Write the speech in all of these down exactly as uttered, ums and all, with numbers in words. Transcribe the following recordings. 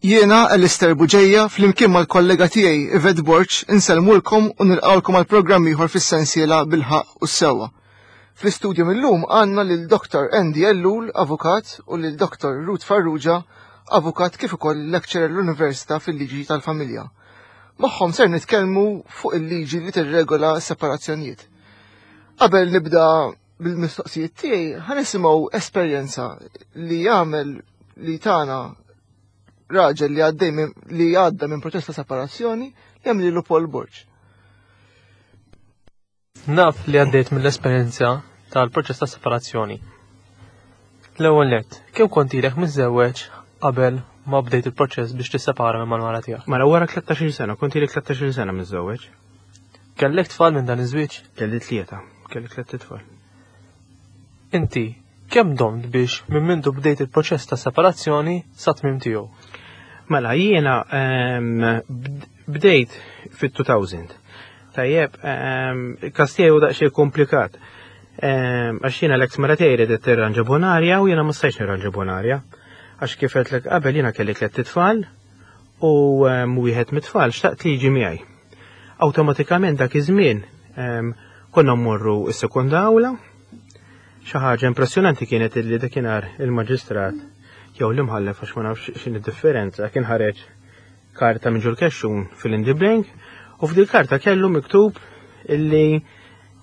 Jiena Alistair Buġeja flimkien mal-kollega tiegħi Yvette Borg insellmulkom u nilqgħulkom għal programm ieħor fis-sensiela Bil-Ħaqq u s-Sewwa. Fl-istudju millum għandna lil Dr. Andy Ellul, avukat, u lil Dr. Ruth Farrugia, avukat kif ukoll lecturer l-Università fil-Liġi tal-Familja. Magħhom ser nitkellmu fuq il-liġi li tirregola separazzjonijiet. Qabel nibda bil-mistoqsijiet tiegħi, ħa nisimgħu esperjenza li jagħmel li tana raġel li għaddej li għadda minn proċess ta' separazzjoni li hemm lilu Paul Borg. Naf li għaddejt mill-esperjenza tal-proċess ta' separazzjoni. L-ewwel nett, kemm kont ilek miżżewweġ qabel ma bdejt il-proċess biex tissepara minn mal-mara tiegħek? Mela wara tlettax-il sena, kont ili tlettax-il sena miżżewweġ. Kellek tfal minn dan iż-żwieġ? Kelli tlieta, kelli tliet tfal. Inti kemm domt biex minn mindu bdejt il-proċess ta' separazzjoni sa tmiem tiegħu? Mela jiena bdejt fit-elfejn. Tajjeb, każ tiegħi daqsxejn komplikat. Għax jiena l-ex mara tiegħi ridet tirranġa bonarja u jiena ma stajtx nirranġa bonarja. Għax kif għedtlek qabel jiena kelli tliet tfal u wieħed mit-tfal xtaqt li jiġi miegħi. Awtomatikament dak iż-żmien konna mmorru s-sekonda awla. Xi ħaġa impressjonanti kienet illi dakinhar il-maġistrat jew l-imħallef, għax ma nafx x'inhi differenza, kien ħareġ karta minn ġol-kexxun fill in the blank u f'dil karta kellu miktub illi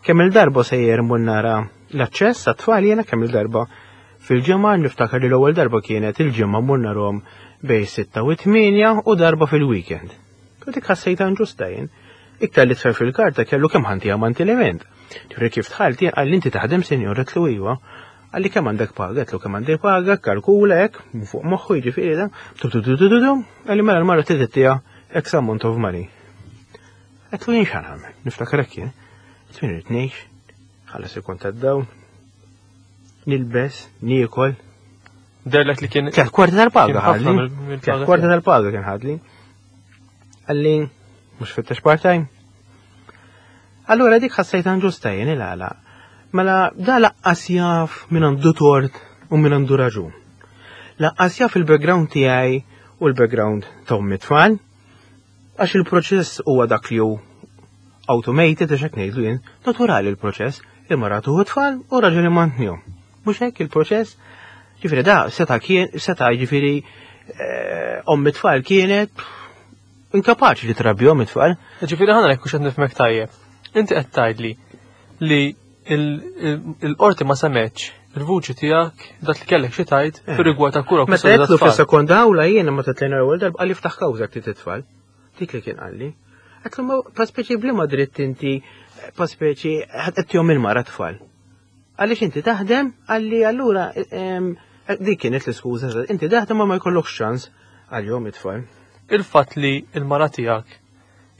kemm il-darba sejjer mmur nara l-aċċess għat-tfal jiena kemm il-darba fil-ġimgħa. Niftakar li l-ewwel darba kienet il-ġimgħa mmur narhom bejn sitta u tmienja u darba fil-weekend. U dik ħassejta inġusta jien. Iktar li tfel fil-karta kellu kemm ħa ntiha manteniment. Ġifieri kif dħalt jien qalli, "Inti taħdem, sinjur?" Għedtlu, "Iva." Qalli, "Kemm għandek paga?" Għedtlu kemm għandi paga, kalkula hekk, fuq moħħu jiġifieri da, tu tu tu tu tu, qalli, "Mela l-mara trid ittiha X amount of money." Għedtlu, "Jien x'ħa nagħmel?" Niftakar hekk jien. Għedtlu, "Irid ngħix, ħallas il-kont tad-dawl, nilbes, niekol." Deherlek li kien Tliet kwarti tal-paga kien ħafna ħadli. mill- mill-paga Tliet kwarti tal-paga kien ħadli. Qalli, "Mhux fittex part-time?" Allura dik ħassejta inġusta jien il-għala. Mela da lanqas jaf min għandu tort u min għandu raġun. Lanqas jaf il-background tiegħi u l-background ta' ummi tfal. Għax il-proċess huwa dak li hu automated, għax hekk ngħidlu jien, naturali il-proċess, il-mara tieħu tfal u raġel imantnihom. Mhux hekk il-proċess? Ġifieri da seta' kien seta' ġifieri eh, ommi tfal kienet inkapaċi li trabbihom it-tfal. Ġifieri ħa nara hux qed nifhmek tajjeb. Inti qed tgħidli li il-qorti ma semgħetx il-vuċi tiegħek, dak li kellek xi tgħid Eh. fir-rigward ta' kura u Meta kustodja għedtlu tat-tfal. fis-sekonda awla jiena ma tlajna l-ewwel darba qalli, "Ftaħ kawża trid it-tfal." Dik li kien qalli. Għedtlu, "Ma pa speċi b'liema dritt inti pa speċi qed tihom il-mara tfal? Għaliex inti taħdem?" Qalli allura em, dik kienet l-iskuża, "Inti taħdem ma ma jkollokx ċans għalihom it-tfal." Il-fatt li il-mara tiegħek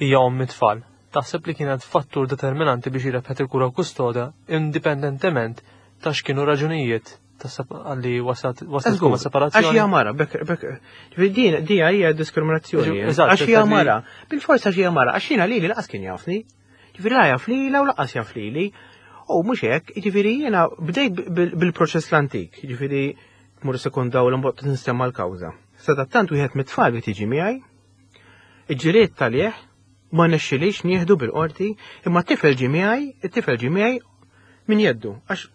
hija omm it-tfal, taħseb li kienet fattur determinanti biex jirebħet il-kura u kustoda indipendentement ta' x'kienu raġunijiet ta' sep- li wasat wasat Żgur, ma' għax separazzjoni? hija mara, bekk bekk ġifieri din dija hija diskriminazzjoni. Ġi- eżatt, Għax hija li- mara, bil-forsa għax hija mara, għax jiena lili lanqas kien jafni. Ġifieri la jaf lila u lanqas jaf lili. U mhux hekk, ġifieri jiena bdejt bil- bil-proċess l-antik, ġifieri tmur sekonda u l-mbagħad tinstemma l-kawża. Sadattant wieħed mit-tfal li tiġi miegħi, iġġiriet talih ma nexxilix nieħdu bil-qorti, imma t-tifel ġie miegħi, it-tifel ġie miegħi min jeddu, għax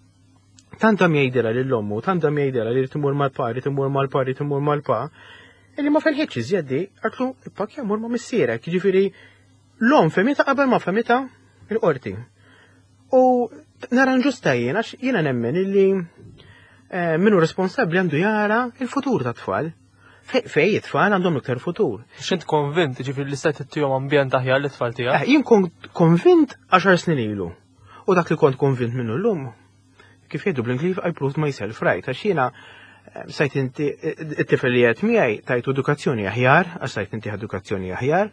tant dam jgħidilha lil ommu, tant dam jgħidilha li timur mal-pa, li timur mal-pa, li timur mal-pa, illi ma felħitx iżjed, għedtlu, "Ippakkja, mur ma' missierek." Ġifieri l-omm fehmitha qabel ma fehmitha il-qorti. U nara inġusta jien, għax jiena nemmen illi eh, min hu responsabbli għandu jara il-futur ta' tfal. Fej fej it-tfal għandhom iktar futur. X'int konvint ġifieri li stajt ittihom ambjent aħjar lit-tfal tiegħek? Eh, Jien kont konvint għaxar snin ilu. U dak li kont konvint minnu l-lum, kif jgħidu bl-Ingliż, I proved myself right. Għax jiena eh, stajt inti, it-tifel li qed miegħi tajtu edukazzjoni aħjar, għax stajt inti edukazzjoni aħjar,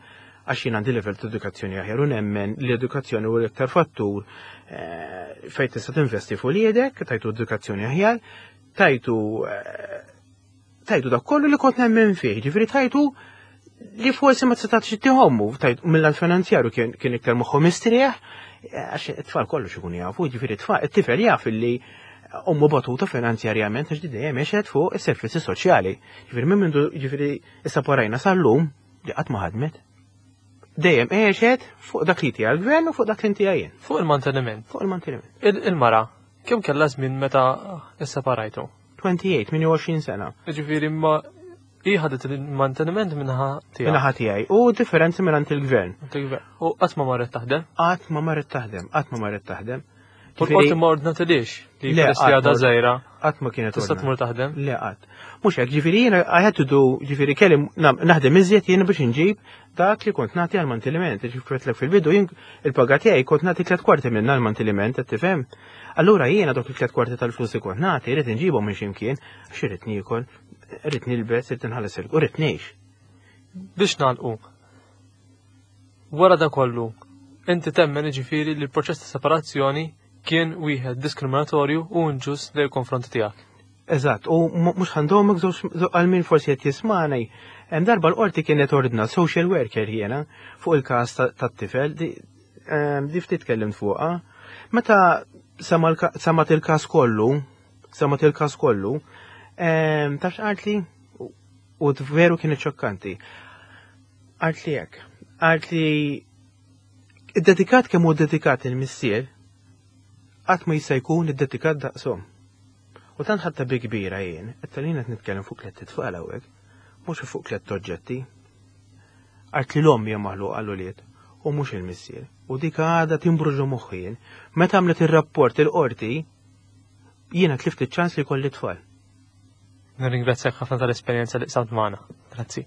għax jiena għandi level ta' edukazzjoni aħjar u nemmen li edukazzjoni u l-iktar fattur eh, fejn tista' tinvesti fuq uliedek, tajtu edukazzjoni aħjar, tajtu eh, tajtu dak kollu li kont nemmen fih, ġifieri tajtu li forsi ma setax ittihommu, tajt mill-lat finanzjarju kien kien iktar moħħu mistrieħ, għax it-tfal kollu xikun jafu, ġifieri it-tfal, it-tifel jaf illi Ommu batuta finanzjarjament għax dejjem għexet fuq is-servizzi soċjali. Ġifieri minn mindu ġifieri isseparajna sal-lum li qatt ma ħadmet. Dejjem għexet fuq dak li tiegħi l-gvern u fuq dak li tiegħi jien. Fuq il-manteniment. Fuq il-manteniment. Il-mara, kemm kellha żmien meta isseparajtu? tmenja u għoxrin sena. Ġifieri ma hi ħadet il-manteniment min-naħa tiegħek. Min-naħa tiegħi u differenzi minn il-gvern. U qatt ma marret taħdem? Qatt ma marret taħdem, qatt ma marret taħdem. U l-qorti ma ordnatilix li peress li għadha żgħira. Qatt ma kienet tista' tmur taħdem? Le qatt. Mhux hekk, ġifieri jiena I had to do, ġifieri kelli naħdem iżjed jiena biex inġib dak li kont nagħti għall-manteniment. Ġifieri fil-bidu jien il-paga tiegħi kont nagħti tliet kwarti minna għall-manteniment, qed tifhem? Allura jiena dok il-tliet kwarti tal-flus li kont nagħti rrid inġibhom minn x'imkien għax irrid niekol, irrid nilbes, irrid inħallas il u rrid ngħix. Biex nagħlqu. Wara da kollu, inti temmen ġifieri li l-proċess ta' separazzjoni kien wieħed diskriminatorju u inġust lejn konfront tiegħek. Eżatt, u mhux għandhom għal min forsi qed jismani. Hemm darba l-qorti kienet ordna social worker jiena fuq il-każ tat-tifel, di ftit tkellimt fuqha. Meta samat il-każ kollu, samat il-każ kollu, taf x'qalt li u veru kienet xokkanti. Qalt li hekk, qalt li id-dedikat kemm hu dedikat il-missier, qatt ma jista' jkun iddedikat daqshom. U tant ħadtha bi kbira jien, qed qed nitkellem fuq tliet tfal hawnhekk, mhux fuq tliet oġġetti. Qalt li l-omm hija maħluqa għall-ulied u mhux il-missier. U dik għadha timbru ġo moħħi jien. Meta għamlet ir-rapport il-qorti, jiena tlift iċ-ċans li jkolli tfal. Nirringrazzjak ħafna tal-esperjenza li qsamt magħna. Grazzi.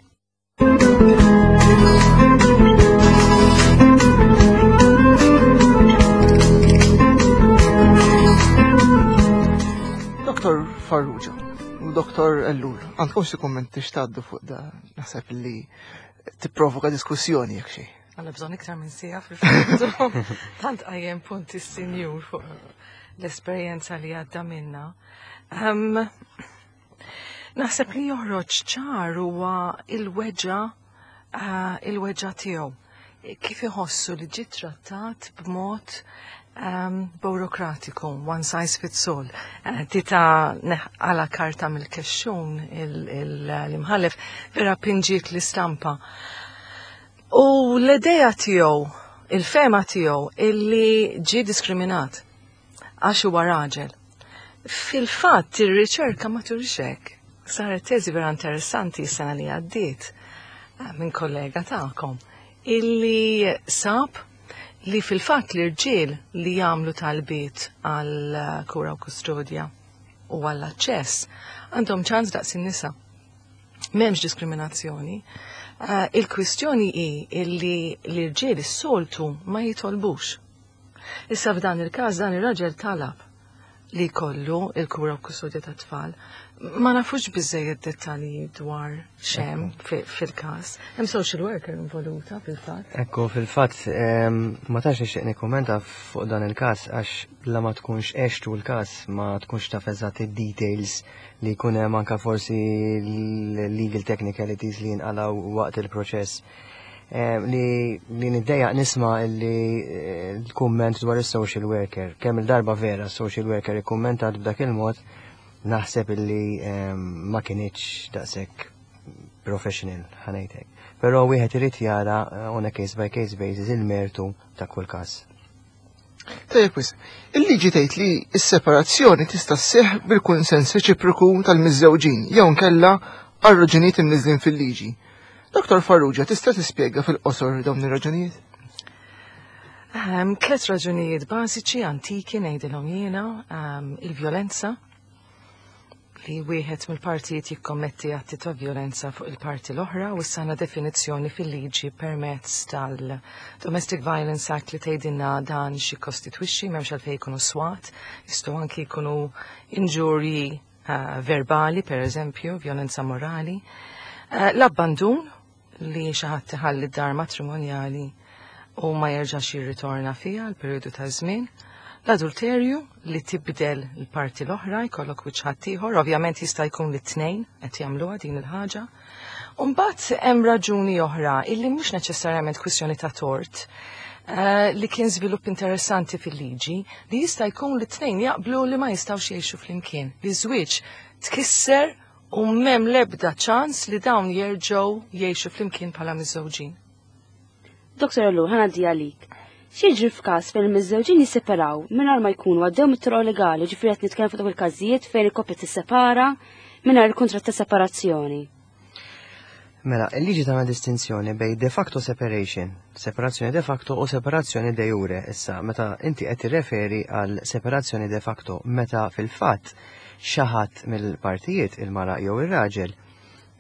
Doktor Farrugia u Doktor Ellul, għandkom xi kummenti x'tgħaddu fuq da naħseb li tipprovoka diskussjoni jekk xejn. Għandna bżonn iktar minn siegħa fil-fatt. Tant qajjem punti s-sinjur fuq l-esperjenza li għadda minna. Um, naħseb li joħroġ ċar huwa il-weġgħa uh, il-weġgħa tiegħu. Kif iħossu li ġie trattat b'mod um, burokratiku, one size fits all. Uh, Tita għala karta mill-kexxun l-imħallef vera pinġiet l-istampa. U l-ideja tiegħu, il-fehma tiegħu illi ġie diskriminat għax huwa raġel. Fil-fatt ir-riċerka ma turix hekk. Saret teżi vera interessanti s-sena li għaddiet eh, minn kollega tagħkom illi sab li fil-fatt l-irġiel li jagħmlu talbiet għal kura u kustodja u għall aċċess għandhom ċans daqs in-nisa. M'hemmx diskriminazzjoni. Uh, il-kwistjoni hi illi l-irġiel is-soltu ma jitolbux. Issa f'dan il-każ dan ir-raġel talab li kollu il-kura u kustodja ta' tfal. Ma nafux biżejjed dettalji dwar x'hemm fil-każ. Hemm social worker involuta fil-fatt. Ekku, fil-fatt, ma tantx nixtieq nikkummenta fuq dan il-każ għax la ma tkunx għextu l-każ, ma tkunx taf eżatt id-details li jkun hemm anka forsi l-legal technicalities li jinqalaw waqt il-proċess. Li, li niddejjaq nisma' li l-kumment dwar is-social worker, kemm il-darba vera social worker ikkummentat b'dak il-mod, naħseb illi ma kinitx daqshekk professional ħa ngħidlek. Però wieħed irid jara on a case by case basis il-mertu ta' kull każ. Tajjeb wisq, il-liġi tgħid li s-separazzjoni tista' sseħħ bil-kunsens reċiproku tal-miżżewġin jew nkella għal raġunijiet imniżżlin fil-liġi. Doktor Farrugia, tista' tispjega fil-qosor dawn ir-raġunijiet? Um, tliet raġunijiet bażiċi antiki ngħidilhom jiena, um, il-vjolenza, li wieħed mill-partijiet jikkommetti atti ta' vjolenza fuq il-parti l-oħra u issa għandna definizzjoni fil-liġi permezz tal-Domestic Violence Act li tgħidilna dan xi kostitwixxi, m'hemmx għalfejn jkunu swat, jistgħu anki jkunu inġurji uh, verbali, per eżempju, vjolenza morali. Uh, L-abbandun li xi ħadd iħalli d-dar matrimonjali u ma jerġax jirritorna fiha għal perjodu ta' żmien. L-adulterju li tibdel l-parti l-oħra jkollok wiċċ ħaddieħor, ovvjament jista' jkun li tnejn qed jagħmluha din il-ħaġa. U mbagħad hemm raġuni oħra illi mhux neċessarjament kwistjoni ta' tort, eh, li kien żvilupp interessanti fil-liġi li jista' jkun li tnejn jaqblu li ma jistgħux jgħixu flimkien. Li żwieġ tkisser u m'hemm l-ebda ċans li dawn jerġgħu jgħixu flimkien bħala miżżewġin. Dr. Ellul, ħa ngħaddi għalik. X'jiġri f'każ fejn il-miżżewġin jisseparaw mingħajr ma jkunu għaddew mit-toroq legali, ġifieri qed nitkellem fuq dawk il-każijiet fejn il-koppja tissepara mingħajr il-kuntratt ta' separazzjoni. Mela, il-liġi tagħmel distinzjoni bejn de facto separation, separazzjoni de facto u separazzjoni de jure. Issa, meta inti qed tirreferi għal separazzjoni de facto, meta fil-fatt xi ħadd mill-partijiet, il-mara jew ir-raġel,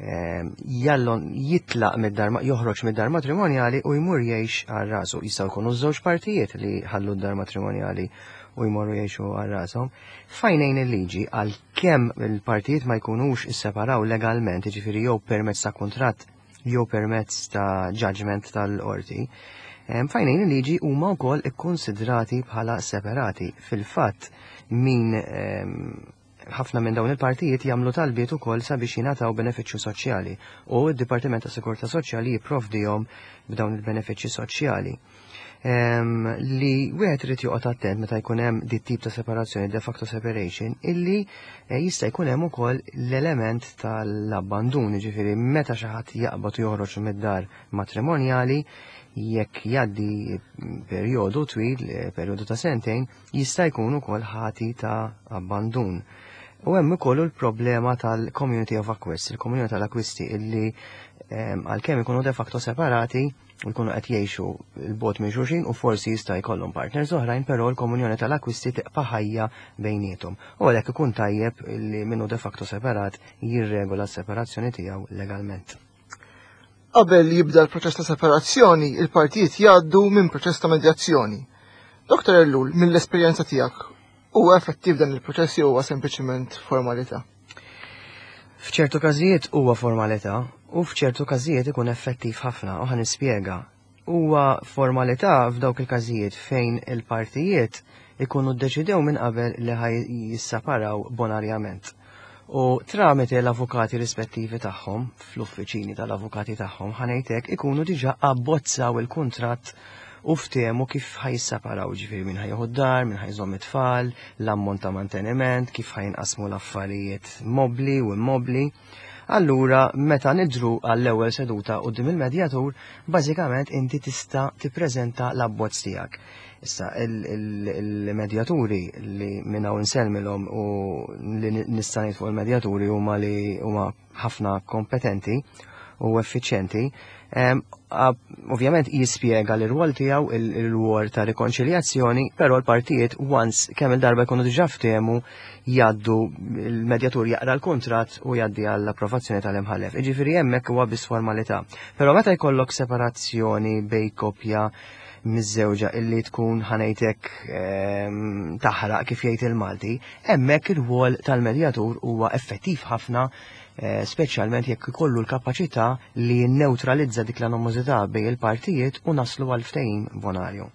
ehm, jallon jitlaq mid-dar, joħroġ mid-dar matrimonjali u jmur jgħix għal rasu. Jistgħu jkunu żewġ partijiet li ħallu d-dar matrimonjali u jmorru jgħixu għal rashom. F'għajnejn il-liġi, għal kemm il-partijiet ma jkunux isseparaw legalment, jiġifieri jew permezz ta' kuntratt jew permezz ta' judgment tal-qorti, em, f'għajnejn il-liġi huma wkoll ikkonsidrati bħala separati. Fil-fatt, min em, ħafna minn dawn il-partijiet jagħmlu talbiet ukoll sabiex jingħataw benefiċċju soċjali u d-Dipartiment ta' Sigurtà Soċjali jipprovdihom b'dawn il-benefiċċji soċjali. Em, li wieħed irid joqgħod attent meta jkun hemm dit tip ta' separazzjoni, de facto separation, illi eh, jista' jkun hemm ukoll l-element tal-abbandun, jiġifieri meta xi ħadd jaqbad u joħroġ mid-dar matrimonjali, jekk jgħaddi perjodu twil, eh, perjodu ta' sentejn, jista' jkun ukoll ħati ta' abbandun. U hemm ukoll il-problema tal-community of acquests, il-komunità tal-akwisti illi em, għalkemm ikunu de facto separati u jkunu qed jgħixu 'l bogħod minn xulxin u forsi jista' jkollhom partners oħrajn, però l-komunjoni tal-akwisti tibqa' ħajja bejniethom. U għalhekk ikun tajjeb li minnu de facto separat jirregola s-separazzjoni tiegħu legalment. Qabel jibda l-proċess ta' separazzjoni, il-partijiet jgħaddu minn proċess ta' medjazzjoni. Dr. Ellul, mill-esperjenza tiegħek, huwa effettiv dan il-proċess jew huwa sempliċement formalità? F'ċertu każijiet huwa formalità u f'ċertu każijiet ikun effettiv ħafna u ħa nispjega. Huwa formalità f'dawk il-każijiet fejn il-partijiet ikunu ddeċidew minn qabel li ħaj jissaparaw bonarjament. U tramite l-avukati rispettivi tagħhom, fl-uffiċini tal-avukati tagħhom, ħa ngħidlek, ikunu diġà abbozzaw il-kuntratt u ftehmu kif ħa jissaparaw, ġifieri min ħa jieħu d-dar, min ħa jżomm it-tfal, l-ammont ta' manteniment, kif ħa jinqasmu l-affarijiet mobli u immobli. Allura, meta nidhru għall-ewwel seduta quddiem il-medjatur, bażikament inti tista' tippreżenta l-abbozz tiegħek. Issa, il-medjaturi li minn hawn insellmilhom u li nista' ngħid fuq il-medjaturi huma li huma ħafna kompetenti u effiċjenti. Ovvjament jispjega l-rwol tiegħu, il-rwol ta' rikonċiljazzjoni, però l-partijiet once kemm il-darba jkunu diġà ftehmu jgħaddu, il-medjatur jaqra l-kuntratt u jgħaddi għall-approvazzjoni tal-imħallef. Jiġifieri hemmhekk huwa biss formalità. Però meta jkollok separazzjoni bejn koppja miżżewġa illi tkun, ħa ngħidlek, taħraq kif jgħid il-Malti, hemmhekk ir-rwol tal-medjatur huwa effettiv ħafna, eh, speċjalment jekk ikollu l-kapaċità li jinneutralizza dik l-animosità bejn il-partijiet u naslu għal ftehim bonarju.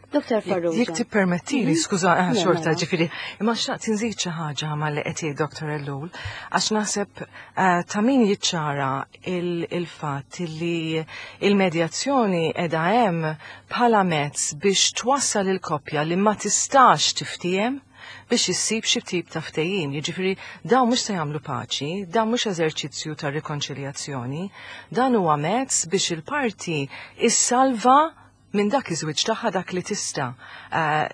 Dr. Farrugia. Jekk tippermettili, Mhm. skuża, eh, Le, xorta, mela. ġifieri, imma xtaqt nżid xi ħaġa ma li qed jgħid Dr. Ellul, għax naħseb eh, ta' min jiċċara il-fatt li il-medjazzjoni qiegħda hemm bħala mezz biex twassal il-koppja li ma tistax tiftiem biex issib xi tip ta' ftehim. Jiġifieri dawn mhux se jagħmlu paċi, dawn mhux eżerċizzju ta' rikonċiljazzjoni, dan huwa mezz biex il-parti issalva minn dak iż-żwieġ tagħha dak li tista'. Eh,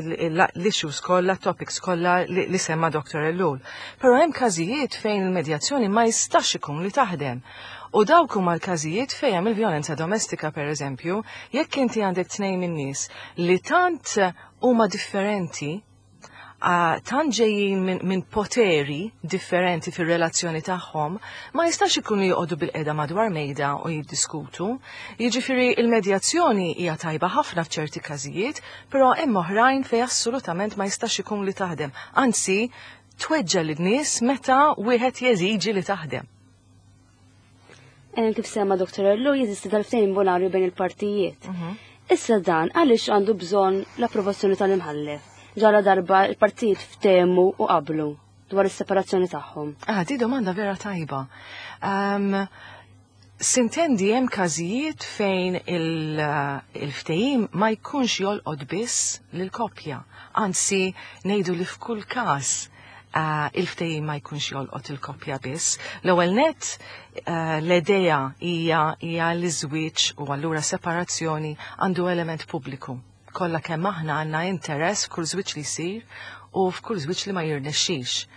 l-issues kollha, topics kollha li li semma Dr. Ellul. Però hemm każijiet fejn il-medjazzjoni ma jistax ikun li taħdem. U dawk huma l-każijiet fejn hemm il-vjolenza domestika, per eżempju, jekk inti għandek tnejn min-nies li tant huma differenti, ah, tant ġejjin minn min poteri differenti fir-relazzjoni tagħhom, ma jistax ikunu joqogħdu bilqiegħda madwar mejda u jiddiskutu. Jiġifieri il-medjazzjoni hija tajba ħafna f'ċerti każijiet, però hemm oħrajn fejn assolutament ma jistax ikun li taħdem. Anzi, tweġġa' lin-nies meta wieħed jeżiġi li taħdem. Eh, Kif semma Dr. Ellul, jeżisti dal-ftehim bonarju bejn il-partijiet. Issa dan għaliex għandu bżonn l-approvazzjoni tal-imħallef? Ġara darba il-partijiet ftehmu u qablu dwar is-separazzjoni tagħhom. Ah, di domanda vera tajba. Um, Sintendi hemm każijiet fejn il-ftehim ma jkunx jolqod biss lill-koppja. Anzi, ngħidu li f'kull każ uh, il-ftehim ma jkunx jolqot il-koppja biss. L-ewwel nett uh, l-idea hija hija li żwieġ u allura separazzjoni għandu element pubbliku. Kollha kemm aħna għandna interess f'kull żwieġ li jsir u f'kull żwieġ li ma jirnexxix.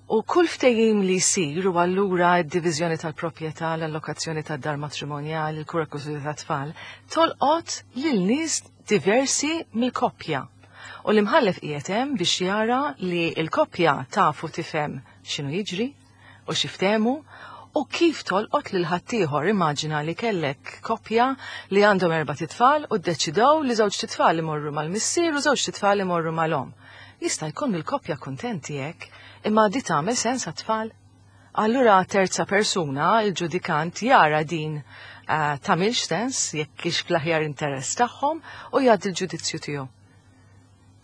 U kull ftehim li jsir u allura d-diviżjoni tal-proprjetà, l-allokazzjoni tad-dar matrimonjali, il-kura kustodja tat-tfal, tolqot lil nies diversi mill-koppja. U l-imħallef qiegħed hemm biex jara li l-koppja tafu tifhem x'inhu jiġri u x'iftehmu u kif tolqot lil ħaddieħor. Immaġina li kellek koppja li għandhom erba' titfal u ddeċidew li żewġ titfal imorru mal-missier u żewġ titfal imorru mal-omm. Jista' jkun il-koppja kuntenti hekk, imma di tagħmel sens għat-tfal. Allura terza persuna, il-ġudikant, jara din uh, tagħmilx sens jekk hix fl-aħjar interess tagħhom u jgħaddi l-ġudizzju tiegħu.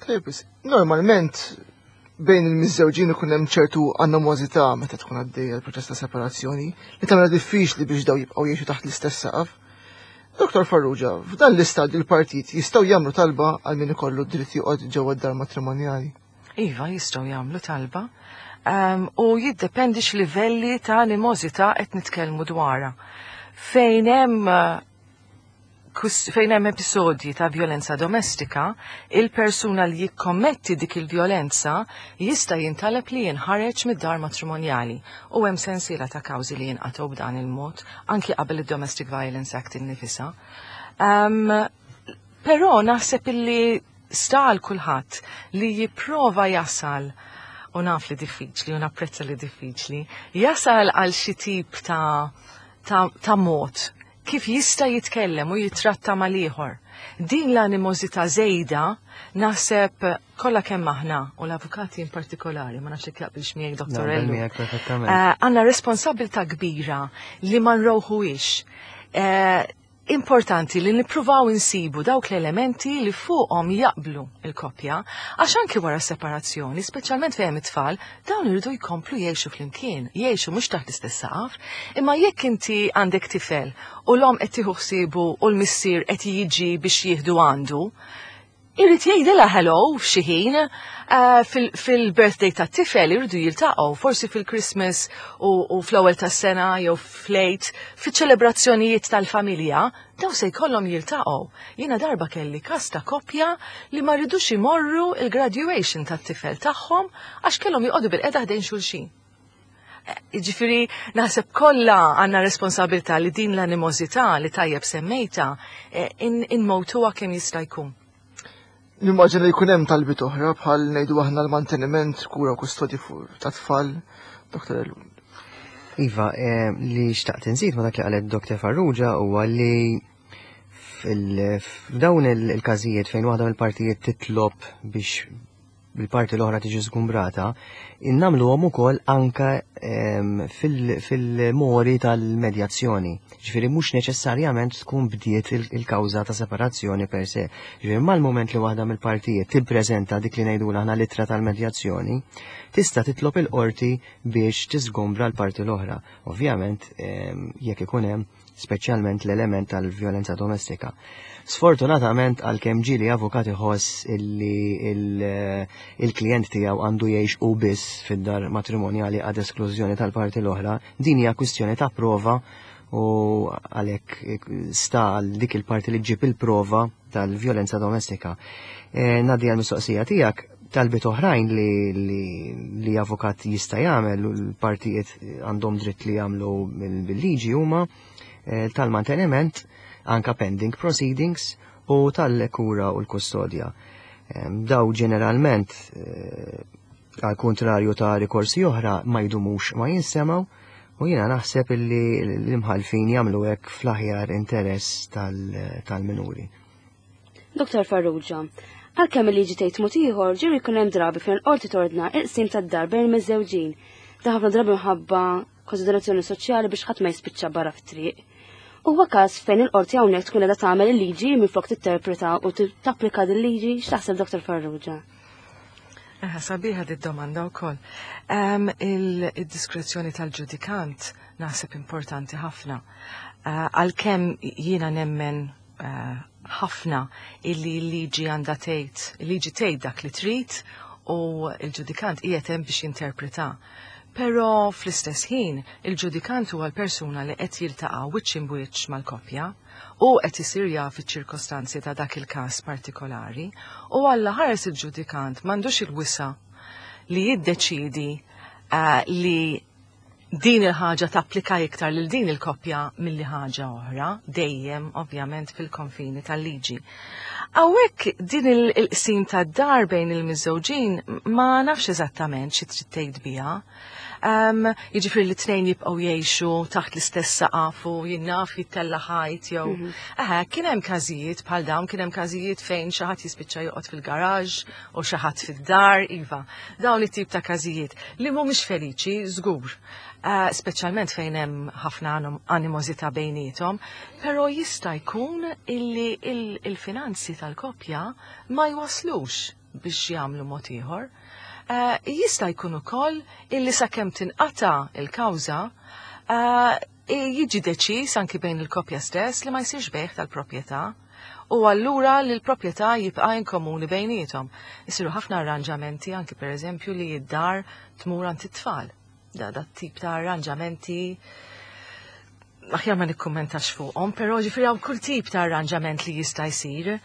Tajjeb, normalment bejn il-miżżewġin ikun hemm ċertu animożità meta tkun għaddejja l-proċess ta' separazzjoni li tagħmilha diffiċli biex daw jibqgħu jgħixu taħt l-istess saqaf. Dottor Farrugia, f'dan l-istadju l-partit jistgħu jagħmlu talba għal min ikollu dritt joqgħod ġewwa d-dar matrimonjali. Iva, jistgħu jagħmlu talba. Um, u jiddependi x'livelli ta' animożità qed nitkellmu dwarha. Fejn hemm fejn hemm episodji ta' violenza domestika, il-persuna li jikkommetti dik il-violenza jista' jintaleb li jinħareġ mid-dar matrimonjali u hemm sensiela ta' kawżi li jinqatgħu b'dan il-mod anki qabel id-Domestic Violence Act innifisha. Um, però naħseb illi sta għal kulħadd li jipprova jasal, u naf li diffiċli u napprezza li diffiċli, jasal għal xi tip ta' ta', ta mod kif jista' jitkellem u jitratta mal-ieħor. Din l-animożità żejda naħseb kollha kemm aħna u l-avukati in partikolari, ma nafx jekk jaqbilx miegħek Dottor Ellul. Għandna responsabilità kbira li ma nrowħuhiex. Importanti li nippruvaw insibu dawk l-elementi li fuqhom jaqblu il-koppja, għax anki wara separazzjoni, speċjalment fejn it-tfal, dawn iridu jkomplu jgħixu flimkien, jgħixu mhux taħt l-istess saqaf, imma jekk inti għandek tifel u l-omm qed tieħu ħsiebu u l-missier qed jiġi biex jieħdu għandu, irid jgħidilha hello f'xi ħin, fil-birthday tat-tifel iridu jiltaqgħu, forsi fil-Christmas u fl-ewwel tas-sena jew fl-Għid, fiċ-ċelebrazzjonijiet tal-familja, daw se jkollhom jiltaqgħu. Jiena darba kelli każ ta' koppja li ma ridux imorru il-graduation tat-tifel tagħhom għax kellhom joqogħdu bil-qeda ħdejn xulxin. Ġifieri naħseb kollha għandna responsabilità li din l-animożità li tajjeb semmejta inmowtuha kemm jista' jkun. Nimmaġina li jkun hemm talbiet oħra bħal ngħidu aħna l-manteniment, kura u kustodja ta' tfal, Dottor Ellul. Iva, li xtaqt inżid ma dak li qalet Dottor Farrugia huwa li f'dawn il-każijiet fejn waħda mill-partijiet titlob biex il-parti l-oħra tiġi żgumbrata, innamluhom ukoll anka fil-mori tal-medjazzjoni. Ġifieri mhux neċessarjament tkun bdiet il-kawża ta' separazzjoni per se. Ġifieri mal-moment li waħda mill-partijiet tippreżenta dik li ngħidu aħna l-ittra tal-medjazzjoni, tista' titlob il-qorti biex tiżgumbra l-parti l-oħra. Ovvjament, jekk ikun hemm speċjalment l-element tal-vjolenza domestika. Sfortunatament għalkemm ġieli avukat iħoss illi il-klient tiegħu għandu jgħix u biss fid-dar matrimonjali għad esklużjoni tal-parti l-oħra, din hija kwistjoni ta' prova u għalhekk sta għal dik il-parti li ġġib il-prova tal-vjolenza domestika. Ngħaddi għall-mistoqsija tiegħek, talbiet oħrajn li, li, li avukat jista' jagħmel u l-partijiet għandhom dritt li jagħmlu bil-liġi huma tal-manteniment, anka pending proceedings u tal-kura u l-kustodja. Daw ġeneralment, għal kontrarju ta' rikorsi oħra, ma jdumux ma jinsemaw u jiena naħseb illi l-imħalfin jagħmlu hekk fl-aħjar interess tal-minuri. Dottor Farrugia, għalkemm il-liġi tgħid mod ieħor, ġieli jkun hemm drabi fejn l-qorti tordna il-qsim tad-dar bejn il-miżżewġin. Da ħafna drabi minħabba konsiderazzjoni soċjali biex ħadd ma jispiċċa barra fit-triq. Huwa każ fejn il-qorti hawnhekk tkun qiegħda tagħmel il-liġi minflok tinterpreta u tapplika din il-liġi, x'taħseb Dottor Farrugia? Eh, sabiħa di domanda wkoll. Um, Il-diskrezzjoni tal-ġudikant naħseb importanti ħafna. Eh, għalkemm jiena nemmen eh, ħafna illi l-liġi għandha tgħid, il-liġi tgħid dak li trid u l-ġudikant qiegħed hemm biex jinterpreta. Però fl-istess ħin, il-ġudikant huwa l-persuna li qed jiltaqa' wiċċ imbwiċċ mal-koppja u qed isir jaf iċ-ċirkostanzi ta' dak il-każ partikolari u alla ħares il-ġudikant m'għandux il-wisa li jiddeċidi uh, li din il-ħaġa tapplika iktar lil din il-koppja milli ħaġa oħra, dejjem ovvjament fil-konfini tal-liġi. Hawnhekk din il-qsim tad-dar bejn il-miżżewġin ma nafx eżattament xi trid tgħid biha. Um, jiġifieri li tnejn jibqgħu jgħixu taħt l-istess saqaf u jien naf jittella' ħajt jew. Mhm. Eħe, kien hemm każijiet bħal dawn, kien hemm każijiet fejn xi ħadd jispiċċa joqgħod fil-garaġ u xi ħadd fid-dar, iva. Dawn it-tip ta' każijiet li mhumiex feliċi żgur. Uh, speċjalment fejn hemm ħafna animożità bejniethom, però jista' jkun illi il-finanzi tal-koppja ma jwaslux biex jagħmlu mod ieħor. Uh, jista' jkun ukoll illi sakemm tinqata' il-kawża uh, jiġi deċiż anki bejn il-koppja stess li ma jsirx bejgħ tal-proprjetà u allura li l-proprjetà jibqa' in komuni bejniethom. Isiru ħafna arranġamenti anki pereżempju li d-dar tmur għand it-tfal. Da, da tip ta' arranġamenti aħjar ma nikkummentax fuqhom, però ġifieri hawn kull tip ta' arranġament li jista' jsir.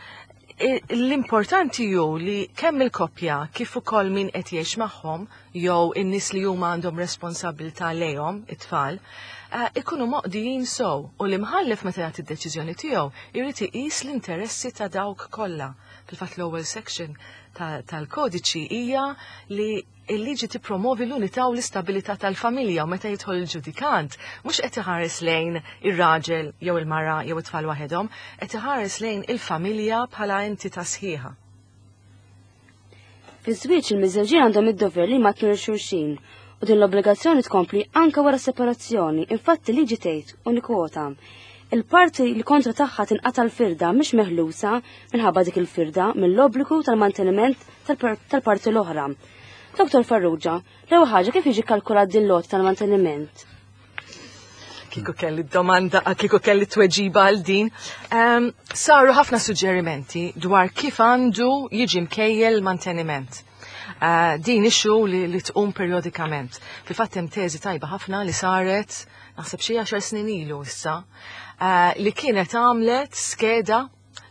L-importanti ju li kemm il-koppja kif ukoll min qed jgħix magħhom jew in-nies li huma għandhom responsabilità lejhom it-tfal, eh, ikunu moqdijin sew u l-imħallef meta jagħti d-deċiżjoni tiegħu jrid iqis l-interessi ta' dawk kollha. Fil-fatt l-ewwel section tal-kodiċi hija li il-liġi tippromovi l-unità u l-istabilità tal-familja u meta jidħol il-ġudikant mhux qed iħares lejn ir-raġel jew il-mara jew it-tfal waħedhom, qed iħares lejn il-familja bħala entità sħiħa. Fi żwieġ il-miżżewġin għandhom id-dover li jmantnu lil xulxin u din l-obbligazzjoni tkompli anke wara separazzjoni. Infatti liġi tgħid u nikkwota: Il-parti li kontra tagħha tinqata l-firda mhix meħlusa minħabba dik il-firda mill-obbligu tal-manteniment tal-parti l-oħra. Doktor Farrugia, l-ewwel ħaġa, kif jiġi kalkulat din l-għoti tal-manteniment? Kieku kelli domanda, kieku kelli tweġiba għal din. Um, saru ħafna suġġerimenti dwar kif għandu jiġi mkejjel manteniment. Uh, din issue li, li tqum periodikament. Fil-fatt hemm teżi tajba ħafna li saret naħseb xi għaxar snin ilu issa, uh, li kienet għamlet skeda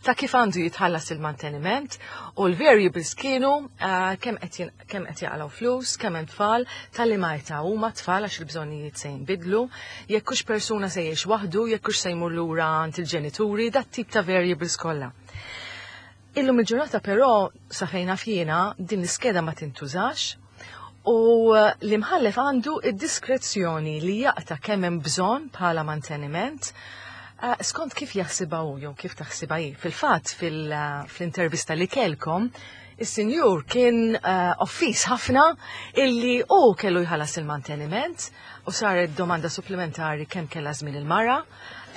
ta' kif għandu jitħallas il-manteniment u l-variables kienu uh, kemm qed kemm qed jaqalgħu flus, kemm hemm tfal, tal-li età huma tfal għax il-bżonnijiet se jinbidlu, jekk hux persuna se jgħix waħdu, jekk hux se jmur lura għand il-ġenituri, dat tip ta' variables kollha. Illum il-ġurnata però sa fejn naf jiena din l-iskeda ma tintużax u l-imħallef għandu id-diskrezzjoni li jaqta' kemm hemm bżonn bħala manteniment Uh, skont kif jaħsibha hu jew kif taħsibha hi. Fil-fatt fil-intervista li kelkom, is-sinjur kien uh, offiż ħafna illi hu kellu jħallas il-manteniment u saret domanda supplementari kemm kellha żmien il-mara,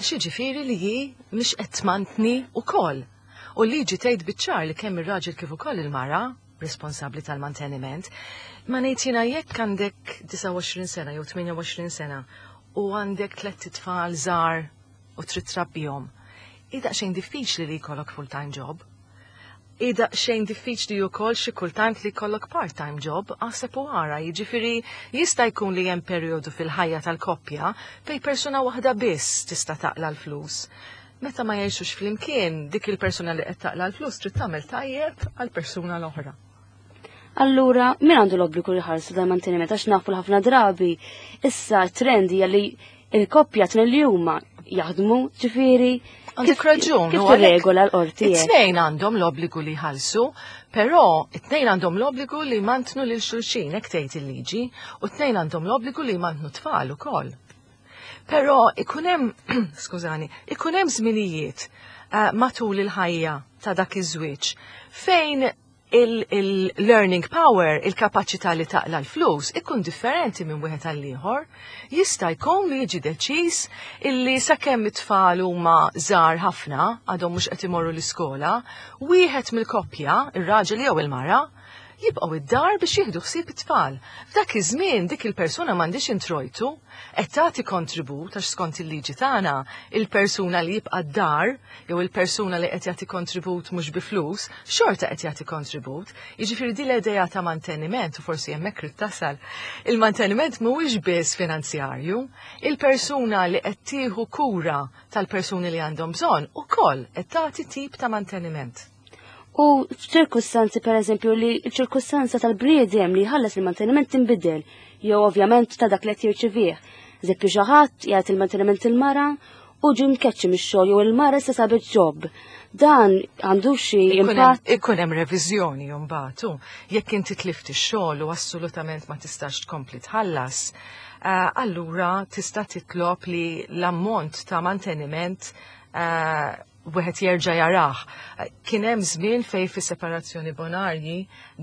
xiġifieri li hi mhix qed tmantni ukoll. U liġi tgħid biċ-ċar li kemm ir-raġel kif ukoll il-mara responsabbli tal-manteniment. Ma ngħid jiena, jekk għandek disgħa u għoxrin sena jew tmienja u għoxrin sena u għandek tliet tfal żgħar u trid trabbihom, xejn diffiċli li jkollok full-time job. Xejn diffiċli wkoll xi kultant li jkollok part-time job, aħseb u ara, jiġifieri jista' jkun li hemm perjodu fil-ħajja tal-koppja fejn persuna waħda biss tista' taqla l-flus. Meta ma jgħixux flimkien, dik il-persuna li qed taqla l-flus trid tagħmel tajjeb għall-persuna l-oħra. Allura, min għandu l-obbligu li jħallsu dan manteniment? Għax nafu l-ħafna drabi issa trend hija li il-koppja tnejn li huma jaħdmu, ġifieri. Għandek raġun. Kif tirregola l-qorti? It-tnejn għandhom l-obbligu li jħallsu, però it-tnejn għandhom l-obbligu li mantnu lil xulxin, hekk tgħid il-liġi, u t-tnejn għandhom l-obbligu li mantnu tfal ukoll. Però ikun hemm, skużani, ikun hemm żminijiet uh, matul il-ħajja ta' dak iż-żwieġ fejn il-earning power, il-kapaċità li taqla l-flus, ikun differenti minn wieħed għal ieħor. Jista' jkun li jiġi deċiż illi sakemm it-tfal huma żgħar ħafna, għadhom mhux qed imorru l-iskola, wieħed mill-koppja, ir-raġel jew il-mara, jibqgħu id-dar biex jieħdu ħsieb it-tfal. F'dak iż-żmien dik il-persuna m'għandix introjtu, qed tagħti kontribut għax skont il-liġi tagħna il-persuna li jibqa' d-dar jew il-persuna li qed jagħti kontribut mhux bi flus, xorta qed jagħti kontribut. Jiġifieri din l-idea ta' manteniment u forsi hemmhekk trid tasal. Il-manteniment mhuwiex biss finanzjarju, il-persuna li qed tieħu kura tal-persuni li għandhom bżonn ukoll qed tagħti tip ta' manteniment. U f'ċirkustanzi per eżempju li ċ-ċirkustanza tal-bniedem li jħallas il-manteniment tinbidel, jew ovvjament ta' dak li qed jirċivih. Eżempju xi ħadd jagħti il-manteniment il-mara u ġie mkeċċi mix-xogħol jew il-mara se sabet job. Dan għandu xi impatt. Ikun hemm reviżjoni mbagħad jekk inti tlift ix-xogħol u assolutament ma tistax tkompli tħallas, eh, allura tista' titlob li l-ammont ta' manteniment eh, wieħed jerġa' jarah. Kien hemm żmien fejn fis-separazzjoni bonarji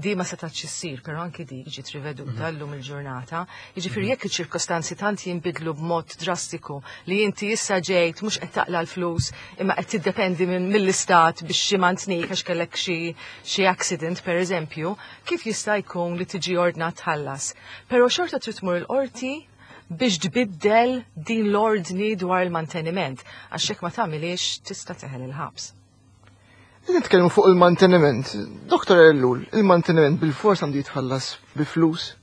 di ma setax issir, però anki di ġiet riveduta mhm. llum il-ġurnata. Jiġifieri mhm. jekk iċ-ċirkostanzi tant jinbidlu b'mod drastiku li inti issa ġejt mhux qed taqla l-flus imma qed tiddependi mill-istat biex xi mantnik għax kellek xi xi accident pereżempju, kif jista' jkun li tiġi ordnat tħallas. Però xorta trid tmur il-qorti biex tbiddel din l-ordni dwar il-manteniment, għax jekk ma tagħmilix tista' teħel il-ħabs. Nitkellmu fuq il-manteniment. Doktor Ellul, il-manteniment bil-fors għandu jitħallas bi flus?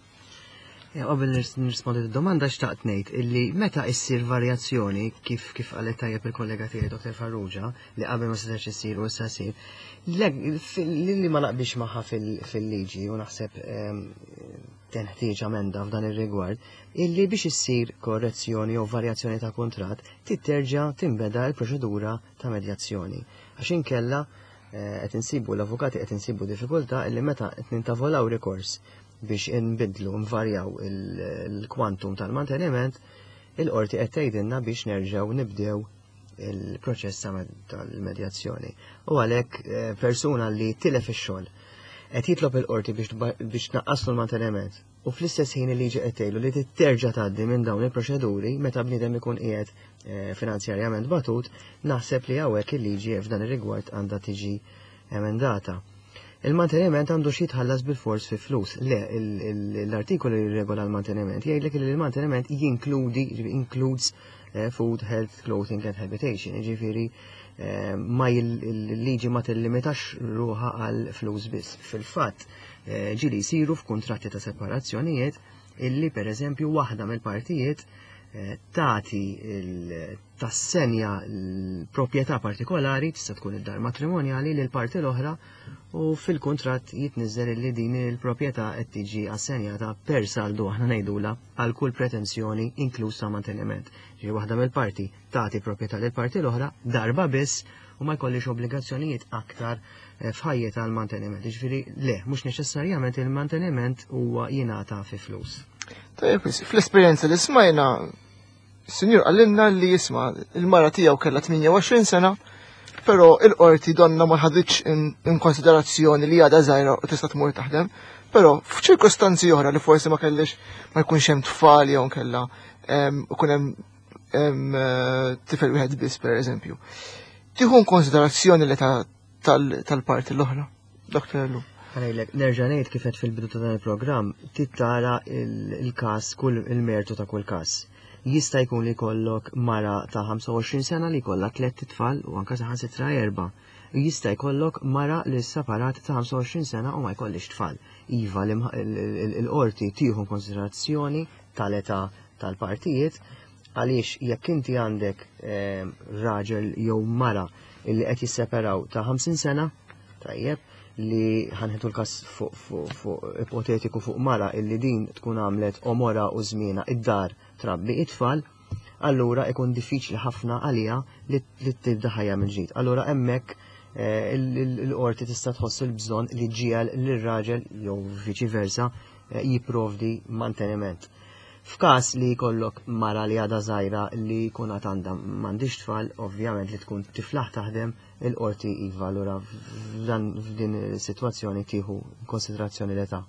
Qabel nirrispondi d-domanda xtaqt ngħid illi meta issir varjazzjoni kif kif qalet tajjeb il-kollega tiegħi Dr. Farrugia li qabel ma setax issir u issa ssir, li ma naqbilx magħha fil-liġi u naħseb ehm, tenħtieġ amenda f'dan ir-rigward, illi biex issir korrezzjoni jew varjazzjoni ta' kuntratt titterġa' tinbeda l-proċedura ta' medjazzjoni. Għax inkella eh, qed insibu l-avukati qed insibu diffikultà illi meta qed nintavolaw rikors biex inbidlu nvarjaw il-kwantum tal-manteniment, il-qorti qed tgħidilna biex nerġgħu nibdew il-proċess tal-medjazzjoni. U għalhekk eh, persuna li tilef ix-xogħol qed jitlob il-qorti biex tnaqqaslu l-manteniment u fl-istess ħin il-liġi qed tgħidlu li terġa' tgħaddi minn dawn il-proċeduri meta bniedem ikun qiegħed eh, finanzjarjament batut, naħseb li hawnhekk il-liġi f'dan ir-rigward għandha tiġi emendata. Il-manteniment għandu xi jitħallas bil-fors fi flus. Le, l-artikolu li regola l-manteniment jgħidlek li l-manteniment jinkludi, includes eh, food, health, clothing and habitation. Ġifieri eh, ma il-liġi ma tillimitax ruħha għal flus biss. Fil-fatt, eh, ġieli jsiru f'kuntratti ta' separazzjonijiet illi per eżempju waħda mill-partijiet tagħti tassenja l-proprjetà partikolari, tista' tkun id-dar matrimonjali lil parti l-oħra u fil-kuntratt jitniżel li din il-proprjetà qed tiġi assenjata per saldu aħna ngħidula għal kull pretensjoni inkluż ta' manteniment. Ġi waħda mill-parti tagħti proprjetà lil parti l-oħra darba biss u ma jkollix obbligazzjonijiet aktar eh, f'ħajjet għal manteniment. Ġifieri le, mhux neċessarjament il-manteniment huwa jingħata fi flus. Tajjeb, fl-esperjenza li smajna, Sinjur qalilna li jisma' il-mara tiegħu kellha tmienja u għoxrin sena, però il-qorti donna ma ħaditx in konsiderazzjoni li għadha żgħira u tista' tmur taħdem, però f'ċirkostanzi oħra li forsi ma kellix ma jkunx hemm tfal jew kellha ikun hemm eh, tifel wieħed biss pereżempju. Tieħu konsiderazzjoni l-età tal-parti l-oħra, Doktor Ellul. Ħanejlek, nerġa' ngħid kif qed fil-bidu ta' dan il-programm, tittara il-każ kull il-mertu ta' kull każ. Jista' jkun li jkollok mara ta' ħamsa u għoxrin sena li jkollha tliet tfal u anke saħansitra erba'. Jista' jkollok mara li separat ta' ħamsa u għoxrin sena u ma jkollix tfal. Iva, l-qorti tieħu konsiderazzjoni tal-età tal-partijiet għaliex jekk inti għandek, eh, raġel jew mara illi qed jisseparaw ta' ħamsin sena, tajjeb, li ħanħetu l-kas fuq, fuq, fuq ipotetiku fuq mara illi din tkun għamlet omora u żmiena id-dar trabbi it-tfal, allura ikun diffiċli ħafna għalija li, li tibda ħajja mill-ġdid. Allura hemmhekk, eh, il-, il-, il-qorti tista' tħoss il-bżonn li ġiegħel lir-raġel jew viċi versa, eh, jipprovdi manteniment. F'każ li jkollok mara li għadha żgħira li jkun għad għandha m'għandix tfal, ovvjament li tkun tiflaħ taħdem, il-qorti iva, allura f'dan, f'din is-sitwazzjoni tieħu konsiderazzjoni l-età.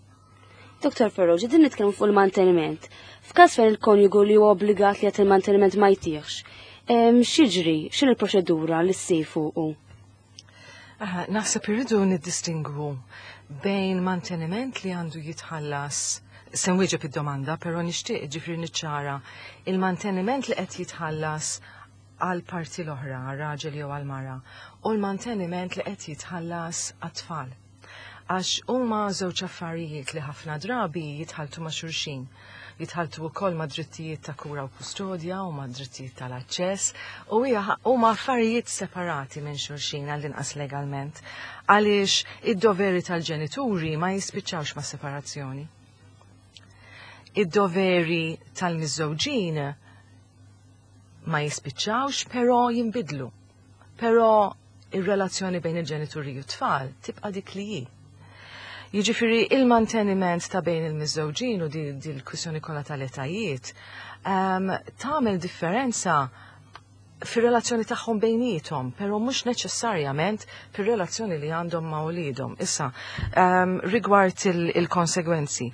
Doktor Farrugia, din nitkellmu fuq il-manteniment. F'każ fejn il-konjugu li huwa obbligat li jagħti il-manteniment ma jtieħx, em, x'jiġri, x'inhi l-proċedura li ssir fuqu? Aha, naħseb irridu niddistingwu bejn manteniment li għandu jitħallas. Se nwieġeb id-domanda, però nixtieq ġifieri niċċara il-manteniment li qed jitħallas għal parti l-oħra, għal raġel jew għal mara, u l-manteniment li qed jitħallas għat-tfal. Għax huma żewġ affarijiet li ħafna drabi jitħaltu ma' xulxin. Jitħaltu wkoll ma' drittijiet ta' kura u kustodja u ma' drittijiet tal-aċċess u hija huma affarijiet separati minn xulxin għall-inqas legalment. Għaliex id-doveri tal-ġenituri ma jispiċċawx ma' separazzjoni. Id-doveri tal-miżżewġin ma jispiċċawx, però jinbidlu. Però ir-relazzjoni bejn il-ġenituri u t-tfal tibqa' dik li hi. Jiġifieri il-manteniment ta' bejn il-miżżewġin u di, di l-kwistjoni kollha tal-etajiet um, tagħmel differenza fir-relazzjoni tagħhom bejniethom, però mhux neċessarjament fir-relazzjoni li għandhom ma' uliedhom. Issa, um, rigward il-konsegwenzi,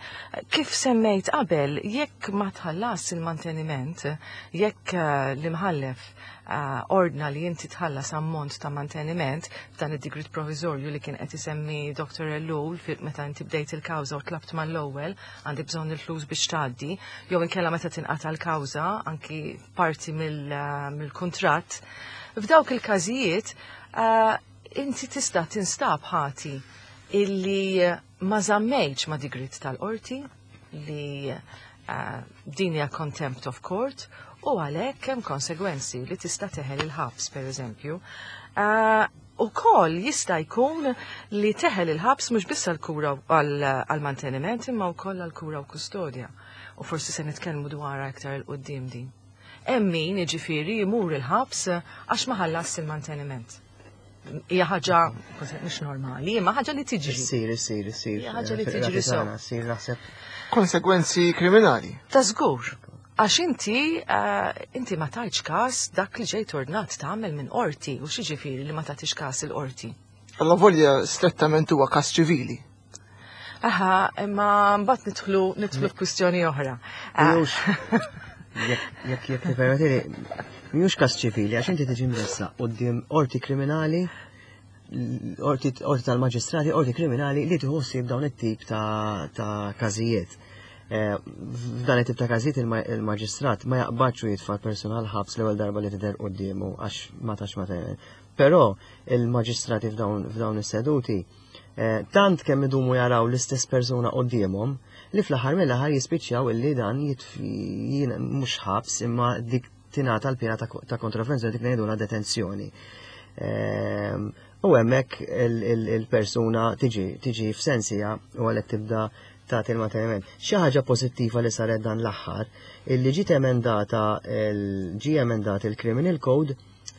kif semmejt qabel, jekk ma tħallas il-manteniment, jekk uh, l-imħallef uh, ordna li inti tħallas ammont ta' manteniment f'dan id-digrit provizorju li kien qed isemmi Doctor Ellul meta inti bdejt il-kawża u tlabt mal-ewwel għandi bżonn il-flus biex tgħaddi, jew inkella meta tinqata' l-kawża anki parti mill-kuntratt. F'dawk il-każijiet uh, inti tista' tinstab ħati illi ma żammejtx ma' digrit tal-qorti li uh, din hija contempt of court u għalhekk hemm konsegwenzi li tista' teħel il-ħabs pereżempju. Uh, u koll jista' jkun li teħel il-ħabs mhux biss għall-kura għall-manteniment imma wkoll għall-kura u kustodja. U forsi se nitkellmu dwarha aktar 'il quddiem din. Hemm min jiġifieri jmur il-ħabs għax ma ħallas il-manteniment. Hija ħaġa mhux normali, imma ħaġa li tiġri. Issir, issir, issir. Hija ħaġa li tiġri sew. Issir naħseb. Konsegwenzi kriminali. Ta' żgur. Għax inti, uh, inti ma tajtx każ dak li ġejt ordnat tagħmel minn qorti u x'jiġifieri li ma tagħtix każ il-qorti. Alla volja strettament huwa każ ċivili. Aha, imma mbagħad nidħlu nidħlu f'kwistjoni oħra. Mhux jekk jekk tippermettili, mhux każ ċivili għax inti tiġi mressaq quddiem qorti kriminali, qorti qorti tal-maġistrati, qorti kriminali li tieħu ħsieb dawn it-tip ta' ta' każijiet. Eh, F'dan it-tip ta' każijiet il-ma- il-maġistrat ma jaqbadx u jitfa' persuna l-ħabs l-ewwel darba li tidher quddiemu għax ma tax ma tajmen. Però il-maġistrati f'dawn f'dawn is-seduti eh, tant kemm idumu jaraw l-istess persuna quddiemhom li fl-aħħar mill-aħħar jispiċċjaw illi dan jitfi mhux ħabs imma dik tingħata l-pena ta' ta' kontravenzjoni, dik ngħidulha detenzjoni. Ehm, U hemmhekk il-persuna tiġi tiġi f'sensija u għalhekk tibda tagħti il-manteniment. Xi ħaġa pożittiva li saret dan l-aħħar illi ġiet emendata ġie emendat il-Criminal Code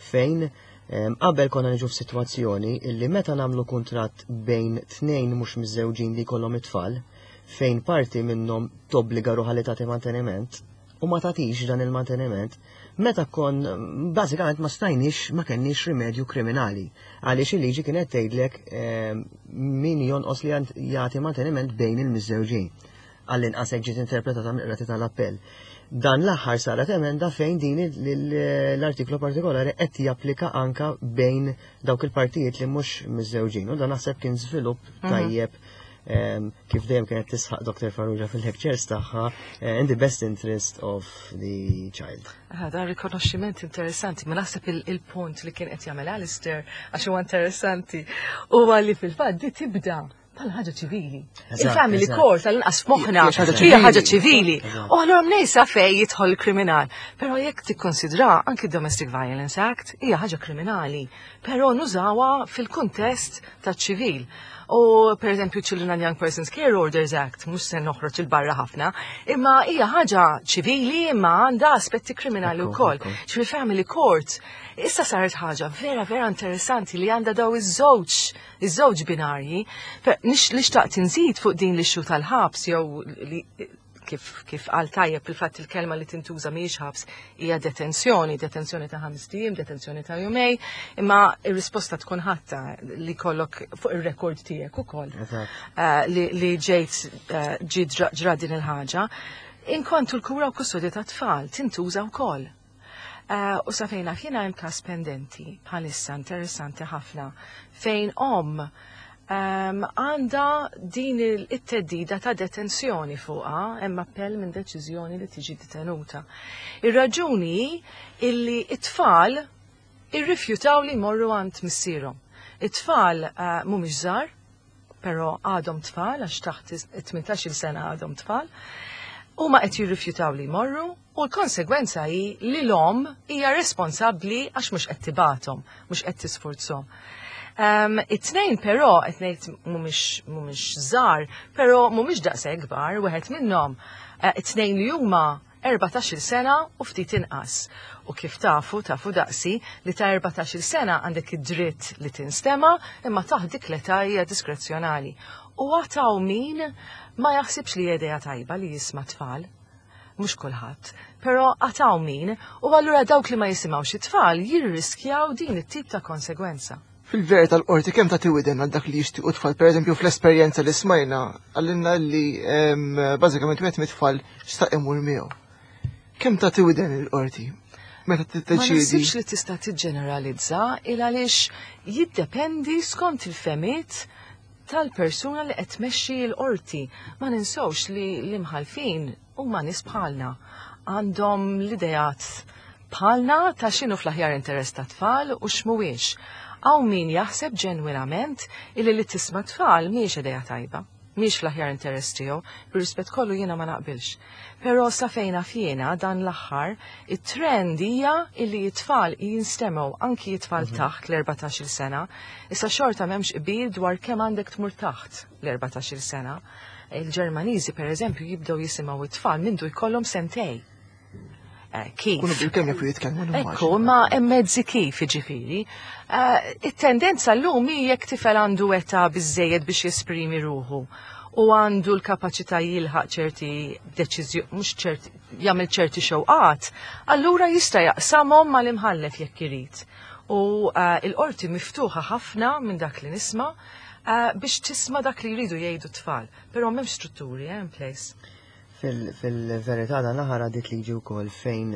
fejn em, qabel konna niġu f'sitwazzjoni illi meta nagħmlu kuntratt bejn tnejn mhux miżżewġin li jkollhom it-tfal, fejn parti minnhom tobbliga ruħha li tagħti manteniment u ma tagħtix dan il-manteniment, meta kon bażikament ma stajniex, ma kenniex rimedju kriminali. Għaliex il-liġi kienet tgħidlek em, min jonqos li jant- jagħti manteniment bejn il-miżżewġin. Għall-inqas hekk ġiet interpretata mill-qrati tal-appell. Dan l-aħħar saret emenda fejn din il- il- l-artiklu partikolari qed japplika anka bejn dawk il-partijiet li mhux miżżewġin. U dan naħseb kien żvilupp tajjeb em, kif dejjem kienet tisħaq Doctor Farrugia fil-lectures tagħha eh, in the best interest of the child. Ah, dan rikonoxximent interessanti, ma naħseb il- il-punt li kien qed jagħmel Alistair għax huwa interessanti huwa li fil-fatt di tibda bħala ħaġa ċivili. Eżatt, Il-family eżatt. court għall-inqas f'moħħna Hija ħaġa hija ħaġa ċivili. ċivili. U allura mnejn sa fejn jidħol kriminal. Però jekk tikkonsidra anki Domestic Violence Act hija ħaġa kriminali, però nużawha fil-kuntest taċ-ċivil. U per eżempju Children and Young Persons Care Orders Act, mhux se noħroġ 'il barra ħafna, imma hija ħaġa ċivili imma għandha aspetti kriminali Ekku, wkoll. ekku. Ġifieri family court issa saret ħaġa vera vera interessanti li għandha daw iż-żewġ iż-żewġ binarji. Per- Nix li xtaqt inżid fuq din l-issue tal-ħabs jew li kif kif qal tajjeb, fil-fatt il-kelma li tintuża mhijiex ħabs, hija detenzjoni, detenzjoni ta' ħames ijiem, detenzjoni ta' jumej, imma ir-risposta tkun ħatta li kollok fuq ir-rekord tiegħek ukoll Eżatt. eh, li, li ġejt eh, ġi ġra ġra din il-ħaġa. Inkontu l-kura u kustodja ta' tfal tintuża wkoll. Uh, u sa fejn naf jiena hemm każ pendenti bħalissa interessanti ħafna fejn om Għandha din it-theddida ta' detenzjoni fuqha, hemm appell minn deċiżjoni li tiġi detenuta. Ir-raġuni illi it-tfal irrifjutaw li jmorru għand missierhom. It-tfal uh, mhumiex żgħar, però għadhom tfal, għax taħt tmintax-il sena għadhom tfal, huma qed jirrifjutaw li jmorru u l-konsegwenza hi li l-om hija responsabbli għax mhux qed tibgħathom, mhux qed tisfurzhom. Um, it-tnejn però qed ngħid mhumiex mhumiex żgħar, però mhumiex daqshekk kbar, wieħed minnhom uh, it-tnejn li huma erbatax-il sena u ftit inqas. U kif tafu, tafu daqsi, li ta' erbatax-il sena għandek id-dritt li tinstema, imma taħt dik l-età hija diskrezzjonali. U għataw min ma jaħsibx li idea tajba li jisma' tfal, mhux kulħadd, però għataw min, u allura dawk li ma jisimgħux it-tfal jirriskjaw din it-tip ta' konsegwenza. Fil-verità l-qorti kemm tagħti widen għal dak li jixtiequ tfal, pereżempju fl-esperjenza li smajna, għallinna li bażikament wieħed mit-tfal xtaq imur miegħu. Kemm tagħti widen il-qorti? Meta tiddeċiedi? Ma naħsibx li tista' tiġġeneralizza il għaliex jiddependi skont il-femiet tal-persuna li qed tmexxi l-qorti. Ma ninsewx li l-imħalfin huma nies bħalna, għandhom l-idejat bħalna ta' x'inhu fl-aħjar interess ta' tfal u x'mhuwiex. Hawn min jaħseb ġenwinament illi li tisma' tfal mhijiex idea tajba, mhijiex fl-aħjar interess tiegħu, bir-rispett kollu jiena ma naqbilx. Però sa fejna fjena dan l-aħħar, it-trend hija illi t-tfal jinstemgħu, anki t-tfal taħt l-erbatax-il sena. Issa xorta m'hemmx qbil dwar kemm għandek tmur taħt l-erbatax-il sena. Il-Ġermaniżi pereżempju jibdew jisimgħu it-tfal mindu jkollhom sentej. Kif? Kunu bil-kemm jafu jitkellmu l-immaġni. Ekku, ma hemm mezzi kif, jiġifieri. It-tendenza llum hi jekk tifel għandu età biżejjed biex jesprimi ruħu u għandu l-kapaċità jilħaq ċerti deċiżjoni, mhux ċerti, jagħmel ċerti xewqat, allura jista' jaqsamhom mal-imħallef jekk irid. U l-qorti miftuħa ħafna minn dak li nisma' biex tisma' dak li jridu jgħidu t-tfal, però m'hemmx strutturi eh, in place. Fil-verità dan l-aħħar għaddiet liġi wkoll fejn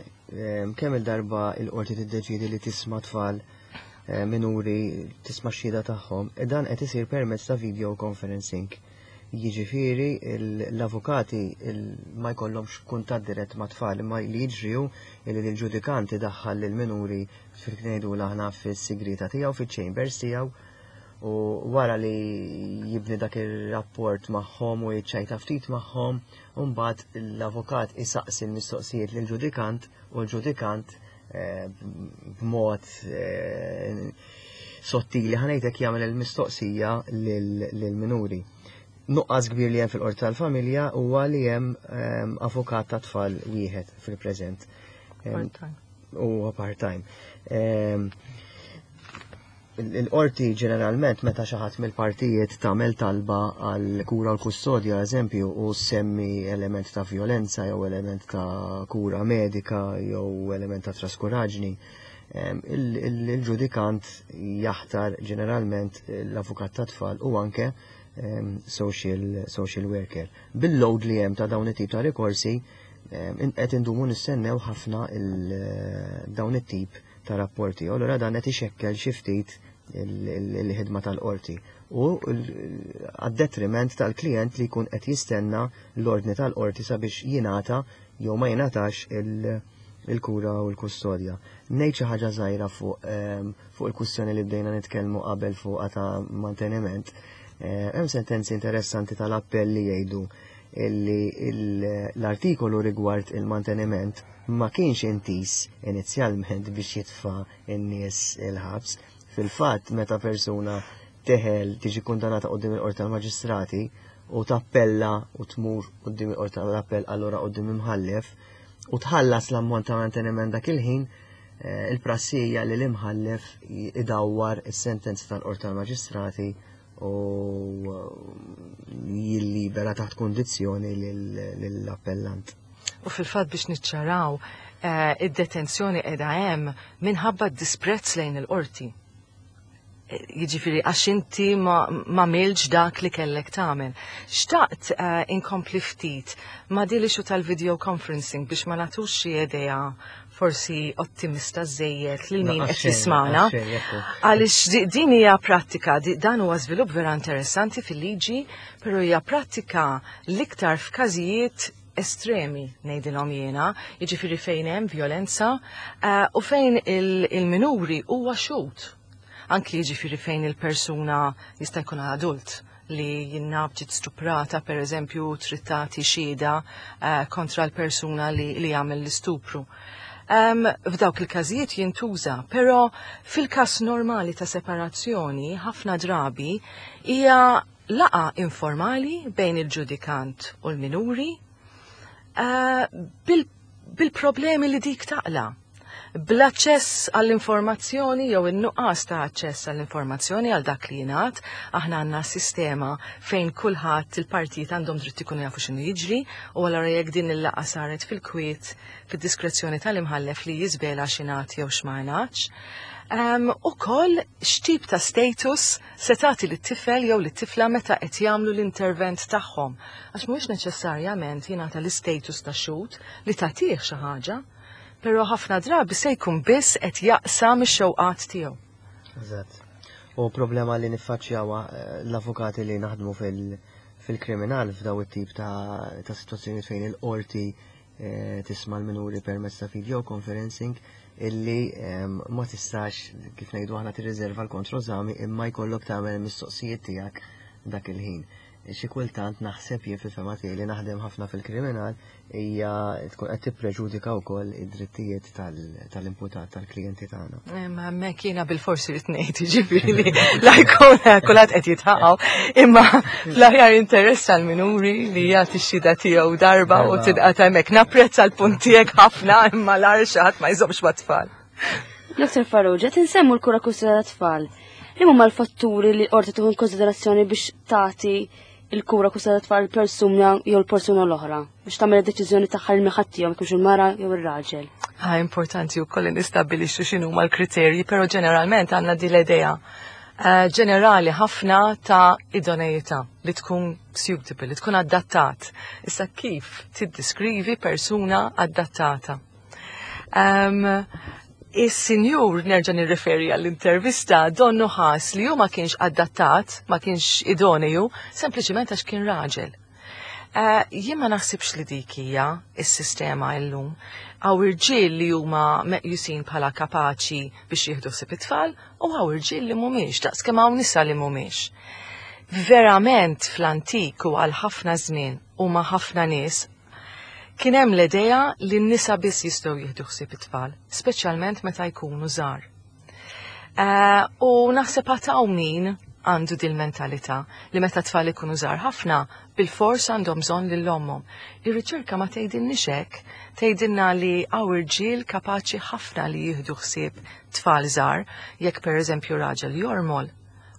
kemm il-darba il-qorti tiddeċiedi li tisma' tfal minuri, tisma' x-xhieda tagħhom, e dan qed isir permezz ta' video conferencing. Jiġifieri l-avukati ma jkollhomx kuntatt dirett ma' tfal, imma li jiġri hu li l-ġudikant idaħħal lil minuri fil-ngħidu aħna fis-sigrita tiegħu, fiċ-chambers tiegħu, u wara li jibni dak ir-rapport magħhom u jiċċajta ftit magħhom, u mbagħad l-avukat isaqsi l-mistoqsijiet lill-ġudikant u l-ġudikant b'mod sottili ħanejtek jagħmel il-mistoqsija lill-minuri. Nuqqas kbir li hemm fil-qorti tal-familja huwa li hemm avukat ta' tfal wieħed fil-preżent. Part-time. Huwa part-time. Il-qorti ġeneralment meta xi ħadd mill-partijiet tagħmel talba għal kura u l-kustodja, eżempju, u semmi element ta' violenza jew element ta' kura medika jew element ta' traskuraġni, il-ġudikant jaħtar ġeneralment l-avukat ta' tfal u anke social, social worker. Bil-load li hemm ta' dawn it-tip ta' rikorsi, qed indumu nistennew ħafna dawn it-tip ta' rapporti. Allura dan qed ixekkel xi ftit il-ħidma tal-qorti u għad-detriment tal-klient li jkun qed jistenna l-ordni tal-qorti sabiex jingħata jew ma jingħatax il-kura u l-kustodja. Ngħid xi ħaġa żgħira fuq fuq il-kwistjoni li bdejna nitkellmu qabel fuqha ta' manteniment. Hemm sentenzi interessanti tal-appell li jgħidu illi l-artikolu rigward il-manteniment ma kienx intis inizjalment biex jitfa' n-nies il-ħabs. Fil-fatt, meta persuna teħel tiġi kundannata quddiem il-qorti tal-maġistrati u tappella u tmur quddiem il-qorti tal-appell allura quddiem imħallef u tħallas l-ammont ta' manteniment dak il-ħin, il-prassi hija li l-imħallef idawwar is-sentenza tal-qorti tal-maġistrati u jillibera taħt kundizzjoni lill-appellant. U fil-fatt biex niċċaraw, id-detenzjoni qiegħda hemm minħabba d-disprezz lejn il-qorti. Jiġifieri għax inti ma għamiltx dak li kellek tagħmel. Xtaqt uh, inkompli ftit ma' din l-issue tal-video conferencing biex ma nagħtux xi idea forsi ottimista żejjed lil min qed jismana. Għaliex din hija prattika, dan huwa żvilupp vera interessanti fil-liġi, però hija prattika l-iktar f'każijiet estremi ngħidilhom jiena, jiġifieri fejn hemm violenza uh, u fejn il-minuri huwa xhud anki jiġifieri fejn il-persuna jista' jkun adult li jinnab ġiet stuprata, per eżempju, trid tagħti xhieda uh, kontra l-persuna li, li jagħmel l-istupru. Um, f'dawk il-każijiet jintuża, però fil-każ normali ta' separazzjoni ħafna drabi hija laqgħa informali bejn il-ġudikant u l-minuri uh, bil-problemi bil li dik taqla' bl-aċċess għall-informazzjoni jew in-nuqqas ta' aċċess għall-informazzjoni għal dak li jingħad, aħna għandna sistema fejn kulħadd il-partijiet għandhom dritt ikunu jafu x'inhu jiġri u allura jekk din il-laqgħa saret fil-kwiet fid-diskrezzjoni tal-imħallef li jiżvela x'ingħad jew x'ma ngħadx. Um, u koll x'tip ta' status se tagħti lit-tifel jew lit-tifla meta qed jagħmlu l-intervent tagħhom. Għax mhuwiex neċessarjament jingħata l-istatus ta' xhud li tagħtih xi ħaġa, pero ħafna drabi se jkun biss qed jaqsam ix-xewqat tiegħu. Eżatt. U problema li niffaċċjawha eh, l-avukati li naħdmu fil-kriminal f'daw it-tip ta' ta' situazzjoni fejn il-qorti eh, tisma' l-minuri permezz ta' video conferencing illi em, ma tistax kif ngħidu aħna tirriserva l-kontrożami imma jkollok tagħmel mistoqsijiet tiegħek dak il-ħin. Xi kultant naħseb jien fil-fehma tiegħi li naħdem ħafna fil-kriminal hija tkun qed tippreġudika wkoll id-drittijiet tal-imputat tal-klijenti tagħna. Imma hemmhekk jiena bil-forsi rrid ngħid, jiġifieri li la jkun kulħadd qed jitħaqgħu, imma fl-aħjar interess tal-minuri li jagħti x-xhieda tiegħu darba u tinqata' hemmhekk. Napprezza l-punt tiegħek ħafna imma l-ar xi ħadd ma jżommx mat-tfal. Dr. Farrugia, tinsemmu l-kura kustodja tat-tfal. Li huma l-fatturi li qorti tieħu konsiderazzjoni biex tagħti il-kura kustodja tat-tfal persuna jew l-persuna l-oħra biex tagħmel id-deċiżjoni tagħha lil ħaddieħor jekk il-mara jew ir-raġel. Ah, importanti wkoll li nistabbilixxu x'inhu huma l-kriterji, però ġeneralment għandna din l-idea eh, ġenerali ħafna ta' idoneità li tkun suitable, li tkun adattat. Issa kif tiddiskrivi persuna adattata? Um, Is-sinjur nerġa' nirreferi għall-intervista donnu ħas li hu ma kienx adattat, ma kienx idoneju, sempliċiment għax kien raġel. Uh, jien ma naħsibx li dik hija s-sistema llum. Hawn irġiel li huma meqjusin bħala kapaċi biex jieħdu ħsieb it-tfal u hawn irġiel li mhumiex, daqs kemm hawn nisa li mhumiex. Verament fl-antik u għal ħafna żmien u ma' ħafna nies kien hemm l-idea li n-nisa biss jistgħu jieħdu ħsieb it-tfal, speċjalment meta jkunu żgħar. Uh, u naħseb għad min għandu dil-mentalità li meta tfal ikunu żgħar ħafna bil-fors għandhom bżonn lil ommhom. Ir-riċerka ma tgħidilniex hekk, tgħidilna li hawn irġiel kapaċi ħafna li jieħdu ħsieb tfal żgħar, jekk pereżempju raġel jormol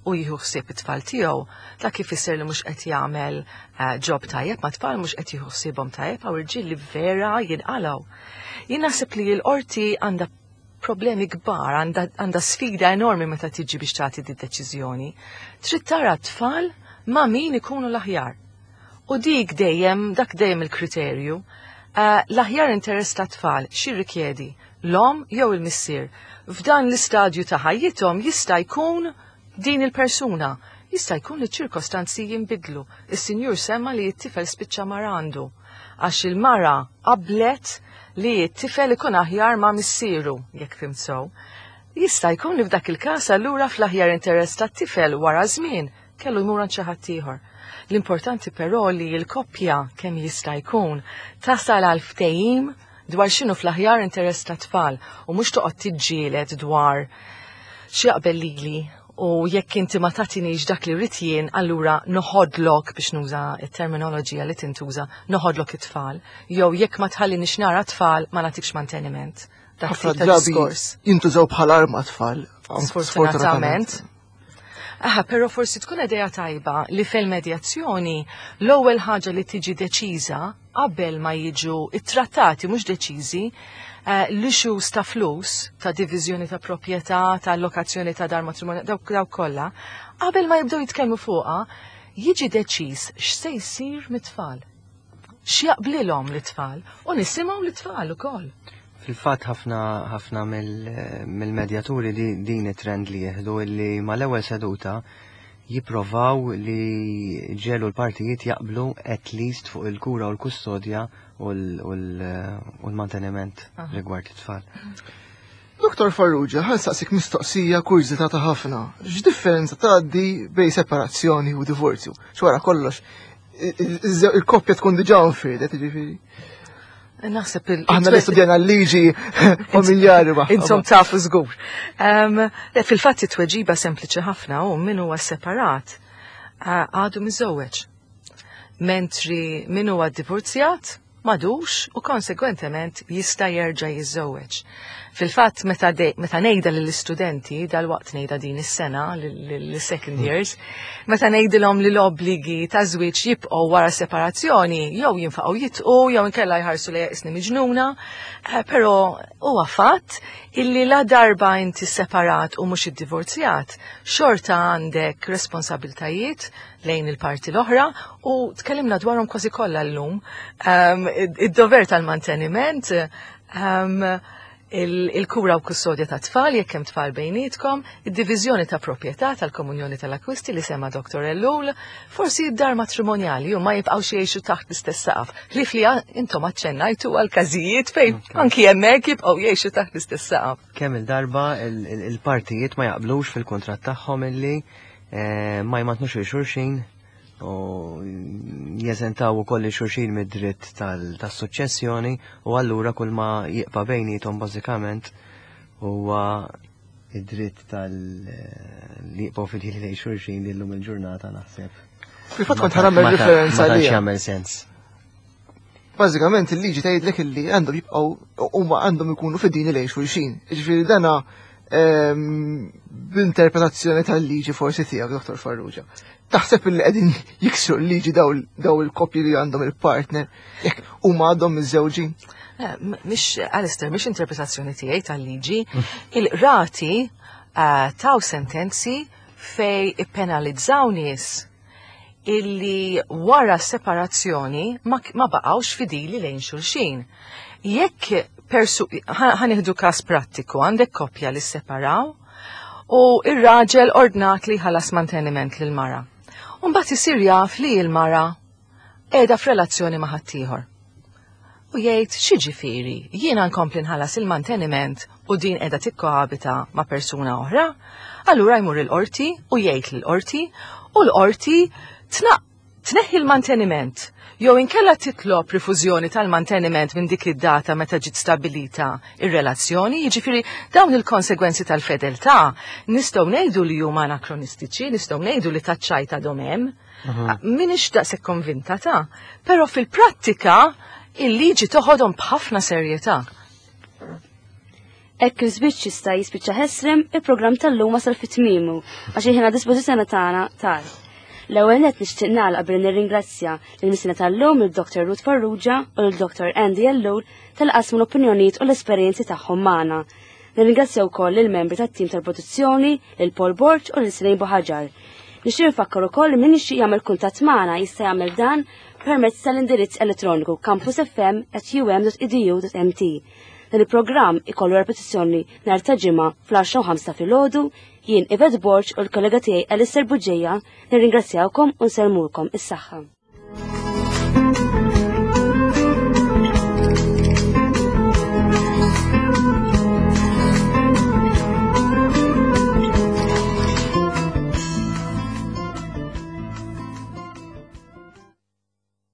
u jieħu ħsieb it-tfal tiegħu, dak ifisser li mhux qed jagħmel eh, job tajjeb ma' tfal mhux qed jieħu ħsiebhom tajjeb hawn irġiel li vera jinqalgħu. Jien naħseb li l-qorti għandha problemi kbar, għandha sfida enormi meta tiġi biex tagħti di deċiżjoni. Trid tara t-tfal ma' min ikunu l-aħjar. U dik dejjem, dak dejjem il-kriterju, eh, l-aħjar interess ta' tfal xi rikjedi l-om jew il-missier. F'dan l-istadju ta' ħajjithom jista' jkun din il-persuna. Jista' jkun li ċirkostanzi jinbidlu. Is-sinjur semma li t-tifel spiċċa mar għandu. Għax il-mara qablet li t-tifel ikun aħjar ma' missieru, jekk fhimt sew. Jista' jkun li f'dak il-każ allura fl-aħjar interess tat-tifel wara żmien kellu jmur għand xi ħadd ieħor. L-importanti però li l-koppja kemm jista' jkun tasal għal ftehim dwar x'inhu fl-aħjar interess tat-tfal u mhux toqgħod tiġġieled dwar x'jaqbel lili u jekk inti ma tagħtinix dak li rrid jien, allura noħodlok biex nuża it-terminoloġija li tintuża, noħodlok it-tfal, jew jekk ma tħallinix nara tfal ma nagħtikx manteniment. Dak Ħafna tip ta' drabi diskors. jintużaw bħala arma tfal. Sfortunatament. Aha, però forsi tkun idea tajba li fil-medjazzjoni l-ewwel ħaġa li tiġi deċiża qabel ma jiġu it-trattati mhux deċiżi eh, l-issues ta' flus, ta' diviżjoni ta' proprjetà, ta' allokazzjoni ta' dar matrimonja, dawk dawk kollha, qabel ma jibdew jitkellmu fuqha, jiġi deċiż x'se jsir mit-tfal. X'jaqblilhom l-tfal u nisimgħu l-tfal ukoll. Fil-fatt ħafna ħafna mill- mill-medjaturi di din it-trend li jieħdu illi mal-ewwel seduta jipprovaw li jġiegħlu l-partijiet jaqblu at least fuq il-kura u l-kustodja u l- u l- u l-manteniment rigward it-tfal. Dottor Farrugia, ħa nsaqsik mistoqsija kurżità ta' ħafna. X'differenza tgħaddi bejn separazzjoni u divorzju? X'wara kollox, il-koppja tkun diġà nfirdet, jiġifieri. Naħseb il- Aħna li studjana l-liġi familjari ma. Intom tafu żgur. Um, le, fil-fatt it-tweġiba sempliċi ħafna u min huwa separat uh, għadu miżżewweġ. Mentri min huwa divorzjat m'għadux u konsegwentement jista' jerġa' jiżżewweġ. Fil-fatt meta de- meta ngħidha lill-istudenti dal-waqt ngħidha din is-sena lill-second years, meta ngħidilhom li l-obbligi ta' żwieġ jibqgħu wara separazzjoni, jew jinfaqgħu jidħku, jew inkella jħarsu li qisni miġnuna, eh, però huwa fatt illi la darba inti separat u mhux iddivorzjat, xorta għandek responsabiltajiet lejn il-parti l-oħra u tkellimna dwarhom kważi kollha llum. Um, id-dover tal-manteniment, um, il-kura u kustodja ta' tfal, jekk hemm tfal bejnietkom, id-diviżjoni ta' proprjetà tal-komunjoni tal-akkwisti li sema Dottor Ellul, forsi id-dar matrimonjali u ma jibqgħux jgħixu taħt l-istess saqaf. Ħlief li intom aċċennajtu għal każijiet fejn anki hemmhekk jibqgħu jgħixu taħt l-istess saqaf. Kemm il-darba il-partijiet ma jaqblux fil-kontratt tagħhom illi eh, ma jmantnux lil xulxin u jeżentaw ukoll xulxin mid-dritt tas-suċċessjoni u allura kull ma jibqa' bejniethom bażikament huwa id-dritt tal li jibqgħu fidili lejn xulxin li llum il-ġurnata naħseb. Fil-fatt kont ħa nagħmel referenza Ma li. jagħmel sens. Bażikament il-liġi tgħidlek illi għandhom jibqgħu huma għandhom ikunu fidili lejn xulxin. Jiġifieri dana ehm, b'interpretazzjoni tal-liġi forsi tiegħek, Dottor Farrugia. Taħseb illi qegħdin jiksru l-liġi daw il-koppji li għandhom il-partner jekk huma għadhom miżżewġin? Eh, mhix, Alistair, mhix interpretazzjoni tiegħi tal-liġi, il-qrati eh, taw sentenzi fej ippenalizzaw nies illi wara separazzjoni ma, ma baqgħux fidili lejn xulxin. Jekk persu, ħa nieħdu każ prattiku, għandek koppja li separaw u ir-raġel ordnat li ħallas manteniment lil mara. Umbagħad isir jaf li l-mara qiegħda f'relazzjoni ma' ħaddieħor. U jgħid x'jiġifieri, jiena nkompli nħallas il-manteniment u din qiegħda tikkoabita ma' persuna oħra, allura jmur il-qorti u jgħid lill-qorti u l-qorti tneħħi l-manteniment jew inkella titlob rifużjoni tal-manteniment minn dik id-data meta ġiet stabilita ir-relazzjoni, jiġifieri dawn il-konsegwenzi tal-fedeltà nistgħu ngħidu li huma anakronistiċi, nistgħu ngħidu li taċ-ċajta għadhom hemm. M'iniex daqshekk konvinta ta', però fil-prattika il-liġi toħodhom b'ħafna serjetà. Hekk kif żbiċ jista' jispiċċa ħesrem, il-programm tal-lum wasal fi tmiemu għax il-ħin dispożizzjoni tagħna tar. L-ewwel nett nixtieq nagħlaq billi nirringrazzja lill-mistiedna tal-lum il-Dottor Ruth Farrugia u l-Dottor Andy Ellul talli qasmu l-opinjonijiet u l-esperjenzi tagħhom magħna. Nirringrazzja wkoll lill-membri tat-tim tal-produzzjoni, lil Paul Borg u lil Silejn Buħaġar. Nixtieq nfakkar ukoll li min jixtieq jagħmel kuntatt magħna jista' jagħmel dan permezz tal-indirizz elettroniku campusfm at u m dot e d u dot m t. Dan il-programm ikollu repetizzjoni nhar ta' Ġimgħa fl-għaxra u ħamsa filgħodu. Jien Yvette Borg u l-kollega tiegħi Alistair Buġeja nirringrazzjawkom u nsellmulkom is-saħħa.